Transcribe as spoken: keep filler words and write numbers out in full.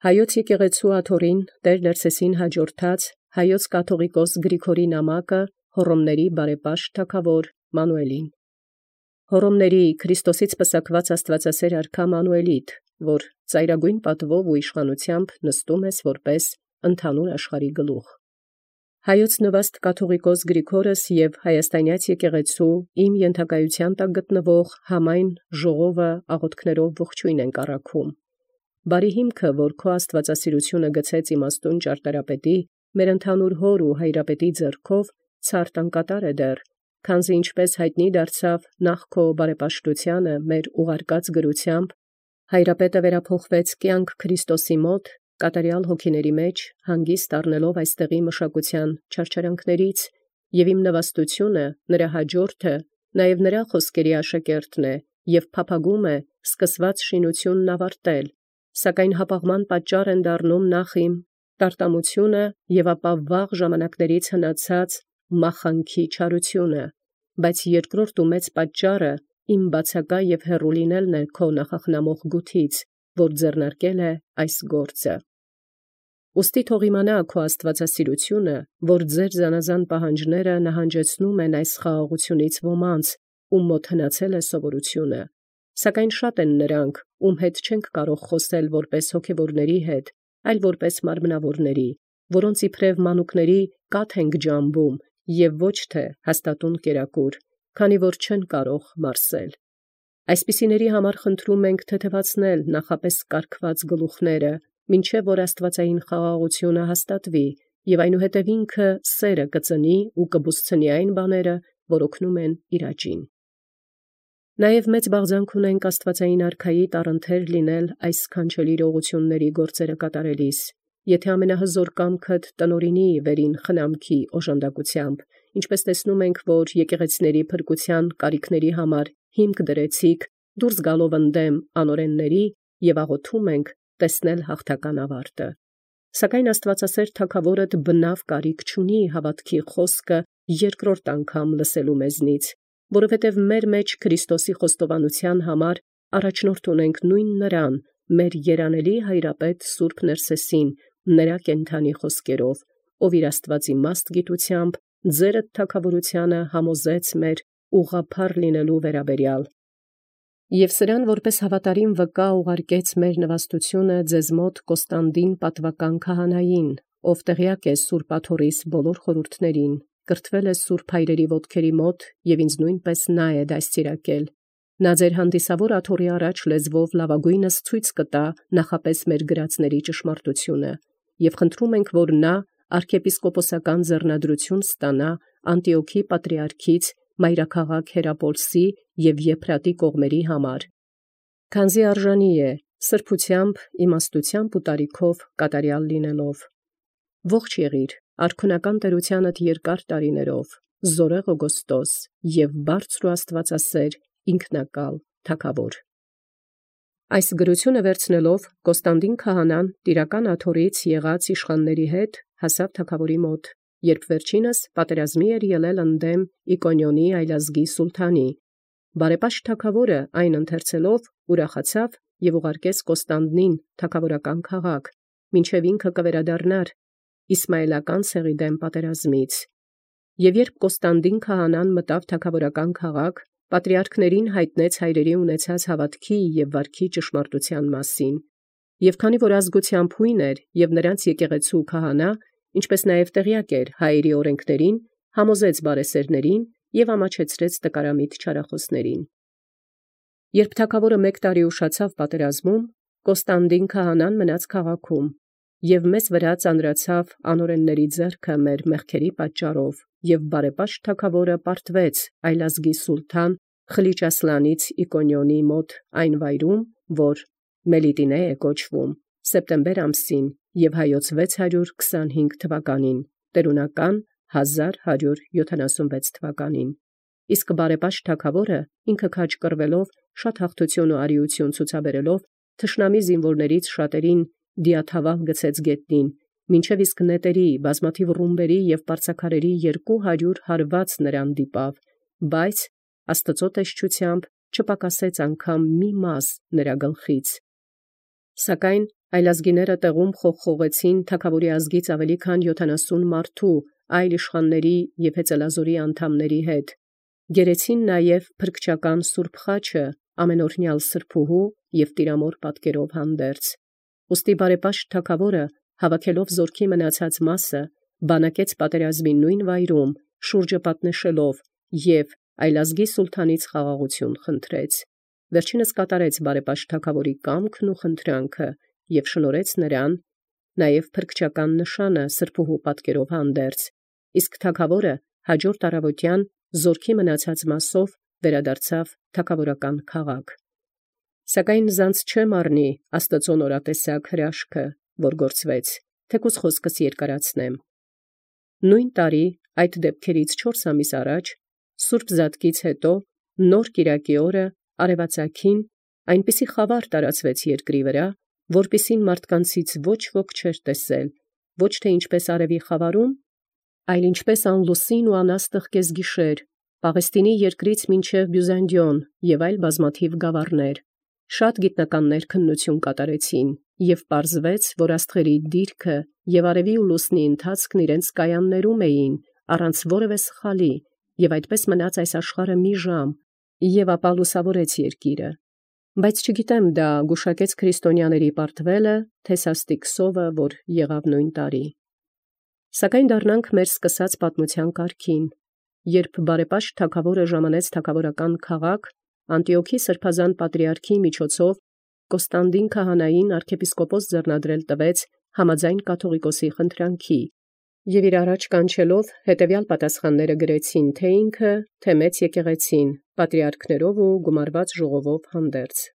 Հայոց եկեղեցու աթոռին Տեր Ներսեսին հաջորդած Հայոց կաթողիկոս Գրիգորի նամակը Հոռոմների բարեպաշտ թագաւոր Մանուելին։ Հոռոմների Քրիստոսից պսակված Աստվածասեր արքա Մանուելիդ, որ ծայրագույն պատվով ու իշխանութեամբ նստում ես որպես ընդհանուր աշխարհի գլուխ։ Հայոց նվաստ կաթողիկոս Գրիգորս և Հայաստանյաց եկեղեցու իմ ենթակայութեան տակ գտնվող համայն ժողովը աղոթքներով ողջույն են կառաքում։ Բարի հիմքը, որ քո աստվածասիրությունը գցեց իմաստուն ճարտարապետի, մեր ընդհանուր հոր ու հայրապետի ձեռքով ցարտ անկատար է դեռ, քանզի ինչպես հայտնի դարձավ նախ քո բարեպաշտությանը մեր ուղարկած գրությամբ, հայրապետը վերափոխվեց կյանք Քրիստոսի մոտ, կատարյալ հոգիների մեջ, հանգիստ առնելով այստեղի մշակութեան չարչարանքներից, և իմ նվաստությունը, նրա հաջորդը, նաև նրա խոսքերի աշակերտն է, և փափագում է սկսված շինությունն ավարտել, սակայն հապաղման պատճառ են դառնում նախ իմ տարտամությունը և ապա վաղ ժամանակներից հնացած մախանքի չարությունը, բայց երկրորդ ու մեծ պատճառը իմ բացակա և հեռու լինելն է քո նախախնամող գութից, որ ձեռնարկել է այս գործը։ Ուստի թող իմանա քո աստվածասիրությունը, որ ձեր զանազան պահանջները նահանջեցնում են այս խաղաղությունից ոմանց, ում մոտ հնացել է սովորությունը, սակայն շատ են նրանք, ում հետ չենք կարող խոսել որպես հոգևորների հետ, այլ որպես մարմնավորների, որոնց իբրև մանուկների կաթ ենք ջամբում և ոչ թե հաստատուն կերակուր, քանի որ չեն կարող մարսել։ Այսպիսիների համար խնդրում ենք թեթևացնել նախապես կարգված գլուխները, մինչև որ աստվածային խաղաղությունը հաստատվի, և այնուհետև ինքը սերը կծնի ու կբուսցնի այն բաները, որ օգնում են իր աճին։ Նաև մեծ բաղձանք ունենք աստվածային արքայի տառընթեր լինել այս սքանչելի իրողությունների գործերը կատարելիս, եթե ամենահզոր կամքդ տնօրինի վերին խնամքի օժանդակությամբ, ինչպես տեսնում ենք, որ եկեղեցիների փրկության կարիքների համար հիմք դրեցիք, դուրս գալով ընդդեմ անօրենների և աղոթում ենք տեսնել հաղթական ավարտը։ Սակայն աստվածասեր թագաւորդ բնավ կարիք չունի հավատքի խոսքը երկրորդ անգամ լսելու մեզնից, որովհետև մեր մեջ Քրիստոսի խոստովանության համար առաջնորդ ունենք նույն նրան, մեր երանելի հայրապետ Սուրբ Ներսեսին, նրա կենդանի խոսքերով, ով իր աստվածիմաստ գիտությամբ ձերդ թագաւորությանը համոզեց մեր ուղղափառ լինելու վերաբերյալ։ Եւ սրան որպես հավատարիմ վկա ուղարկեց մեր նվաստությունը ձեզ մոտ Կոստանդին պատվական քահանային, ով տեղյակ է Սուրբ աթոռիս բոլոր խորհուրդներին, կրթվել է Սուրբ հայրերի ոտքերի մոտ և ինձ նույնպես նա է դաստիարակել։ Նա ձեր հանդիսավոր աթոռի առաջ լեզվով լավագույնս ցույց կտա նախապես մեր գրածների ճշմարտությունը, և խնդրում ենք, որ նա arczepiskoposական ձեռնադրություն ստանա Անտիոքի պատրիարքից մայրաքաղաք Հերապոլսի և Եփրատի կողմերի համար, քանզի արժանի է սրբությամբ, իմաստությամբ ու տարիքով կատարյալ լինելով։ Ողջ եղիր արքունական տերությանդ երկար տարիներով, զորեղ Օգոստոս և բարձր ու աստվածասեր ինքնակալ թագավոր։ Այս գրությունը վերցնելով Կոստանդին քահանան տիրական աթոռից եղած իշխանների հետ հասավ թագավորի մոտ, երբ վերջինս պատերազմի էր ելել ընդդեմ Իկոնիոնի այլազգի սուլթանի։ Բարեպաշտ թագավորը այն ընթերցելով ուրախացավ և ուղարկեց Կոստանդնին թագավորական քաղաք, մինչև ինքը կվերադառնար Իսմայելական ցեղի դեմ պատերազմից։ Եւ երբ Կոստանդին քահանան մտավ թագավորական քաղաք, պատրիարքներին հայտնեց հայրերի ունեցած հավատքի և վարքի ճշմարտության մասին, և քանի որ ազգությամբ հույն էր և նրանց եկեղեցու քահանա, ինչպես նաև տեղյակ էր հայերի օրենքներին, համոզեց բարեսերներին և ամաչեցրեց տկարամիտ չարախոսներին։ Երբ թագավորը մեկ տարի ուշացավ պատերազմում, Կոստանդին քահանան մնաց քաղաքում, և մեզ վրա ծանրացավ անօրենների ձեռքը մեր մեղքերի պատճառով, և բարեպաշտ թագավորը պարտվեց այլազգի սուլթան Խլիճ-Ասլանից Իկոնիոնի մոտ այն վայրում, որ Մելիտինե է կոչվում, սեպտեմբեր ամսին և հայոց վեց հարյուր քսանհինգ թվականին, տերունական հազար հարյուր յոթանասունվեց թվականին։ Իսկ բարեպաշտ թագավորը ինքը քաջ կռվելով շատ հաղթություն ու արիություն ցուցաբերելով թշնամի զինվորներից շատերին դիաթավալ գցեց գետնին, մինչև իսկ նետերի, բազմաթիվ ռումբերի և պարծաքարերի երկու հարյուր հարված նրան դիպավ, բայց Աստծո տեսչությամբ չպակասեց անգամ մի մազ նրա գլխից։ Սակայն Այլազգիները տեղում խողխողեցին թագաւորի ազգից ավելի քան յոթանասուն մարդու, այլ իշխանների և հեծելազորի անդամների հետ։ Գերեցին նաև փրկչական սուրբ խաչը ամենօրհնյալ սրբոյու և տիրամոր պատկերով հանդերձ։ Ուստի բարեպաշտ թագաւորը հավաքելով զորքի մնացած մասը, բանակեց պատերազմի նույն վայրում, շուրջը պատնեշելով և այլազգի սուլթանից խաղաղութիւն խնդրեց։ Վերջինս կատարեց բարեպաշտ թագաւորի կամքն ու խնդրանքը և շնորհեց նրան նաև փրկչական նշանը սրբոյու պատկերով հանդերձ, իսկ թագաւորը հաջորդ առավոտյան զորքի մնացած մասով վերադարձավ թագաւորական քաղաք։ Սակայն զանց չէ մառնի Աստուծոյ նորատեսակ հրաշքը, որ գործվեց, թեկուզ խոսքս երկարացնեմ։ Նույն տարի այդ դեպքերից չորս ամիս առաջ Սուրբ Զատկից հետո նոր կիրակի օրը արևածագին այնպիսի խավար տարածվեց երկրի վրա, որպիսին մարդկանցից ոչ ոք չէր տեսել, ոչ թե ինչպես արևի խավարում, այլ ինչպես ան լուսին ու անաստղ կեսգիշեր, Պաղեստինի երկրից մինչև Բյուզանդիոն և այլ բազմաթիվ գաւառներ։ Շատ գիտնականներ քննութիւն կատարեցին, և պարզվեց, որ աստղերի դիրքը և արևի ու լուսնի ընթացքն իրենց կայաններում էին, առանց որևէ սխալի, և այդպես մնաց այս աշխարհը մի ժամ, և ապա լուսաւորեց երկիրը։ Բայց չգիտեմ դա գուշակեց քրիստոնյաների պարտվելը, թե սաստիկ սովը, որ եղավ նույն տարի։ Սակայն դառնանք մեր սկսած պատմութեան կարգին, երբ բարեպաշտ թագաւորը ժամանեց թագաւորական քաղաք, Անտիոքի սրբազան պատրիարքի միջոցով Կոստանդին քահանային arczepiskopos ձեռնադրել տվեց համաձայն կաթողիկոսի խնդրանքի, և իր առաջ կանչելով հետևյալ պատասխանները գրեցին թե ինքը, թե մեծ եկեղեցին, պատրիարքներով ու գումարված ժողովով հանդերձ։